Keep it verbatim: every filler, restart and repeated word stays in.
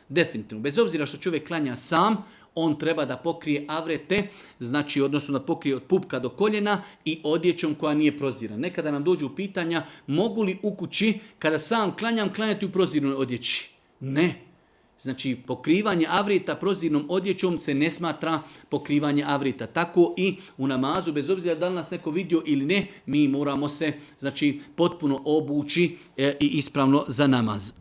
Definitivno. Bez obzira što čovjek klanja sam, on treba da pokrije avrete, znači odnosno da pokrije od pupka do koljena i odjećom koja nije prozirana. Nekada nam dođu pitanja mogu li u kući kada sam klanjam klanjati u proziranoj odjeći? Ne. Znači pokrivanje avrita prozirnom odjećom se ne smatra pokrivanje avrita. Tako i u namazu, bez obzira da li nas neko vidio ili ne, mi moramo se znači potpuno obući e, i ispravno za namaz.